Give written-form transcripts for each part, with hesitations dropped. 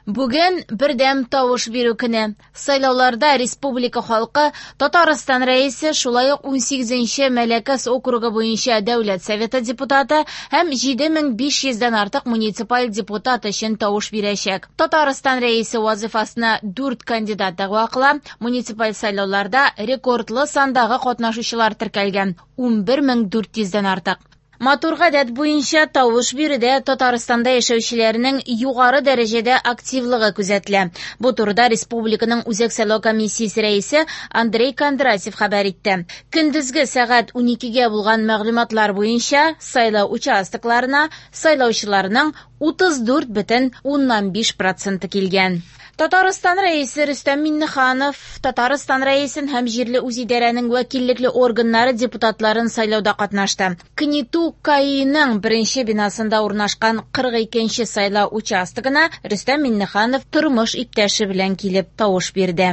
Бүген бердәм тавыш бирү көне. Сайлауларда республика халкы Татарстан Рәисе, шулай ук 18нче Мәләкәс округы буенча Дәүләт Советы депутаты һәм 7500 дән артык муниципаль депутат өчен тавыш бирәчәк. Татарстан Рәисе вазыйфасына 4 кандидат дәгъва кыла. Муниципаль сайлауларда рекордлы сандагы катнашучылар теркәлгән 11400 дән артык. Матур гадәт буенча тавыш бирүдә Татарстанда яшәүчеләрнең югары дәрәҗәдә активлыгы күзәтелә. Бу турыда республиканың Үзәк сайлау комиссиясе рәисе Андрей Кондратьев хәбәр итте. Көндезге сәгать 12-гә булган мәгълүматлар буенча сайлау участокларына сайлаучыларның 34,5 проценты килгән. Татарстан Рәисе Рөстәм Миңнеханов Татарстан Рәисен һәм җирле үзидарәнең вәкиллекле органнары депутатларын сайлауда катнашты. КНИТУ КАИның беренче бинасында урнашкан 42нче сайлау участогына Рөстәм Миңнеханов тормыш иптәше белән килеп тавыш бирде.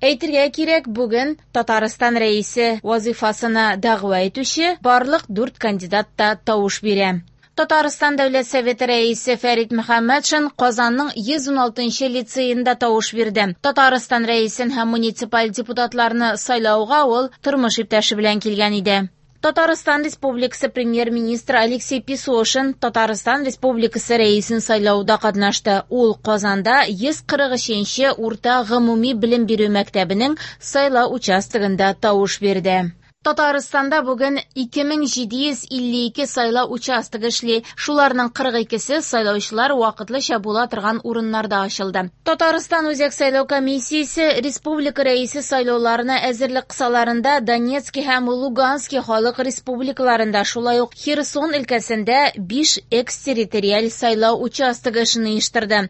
Әйтергә кирәк, бүген Татарстан Рәисе вазыйфасына дәгъва итүче барлык дүрт кандидат та тавыш бирә. Татарстан Дәүләт Советы Рәисе Фәрит Мөхәммәтшин Казанның 116 нчы лицеенда тавыш бирде. Татарстан Рәисен һәм муниципаль депутатларны сайлауга ул тормыш иптәше белән килгән иде. Татарстан Республикасы Премьер-министры Алексей Песошин Татарстан Республикасы Рәисен сайлауда катнашты. Ул Казанда 143 нче урта гомуми белем бирү мәктәбенең сайлау участогында тавыш бирде. Татарстанда бүген 2752 сайлау участогы эшли. Шуларның 42-се сайлаучылар вакытлыча була торган урыннарда ачылды. Татарстан Үзәк сайлау комиссиясе республика Рәисе сайлауларына әзерлек кысаларында Донецки һәм Лугански халык республикаларында, шулай ук Херсон өлкәсендә 5 экстерриториаль сайлау участогы эшен оештырды.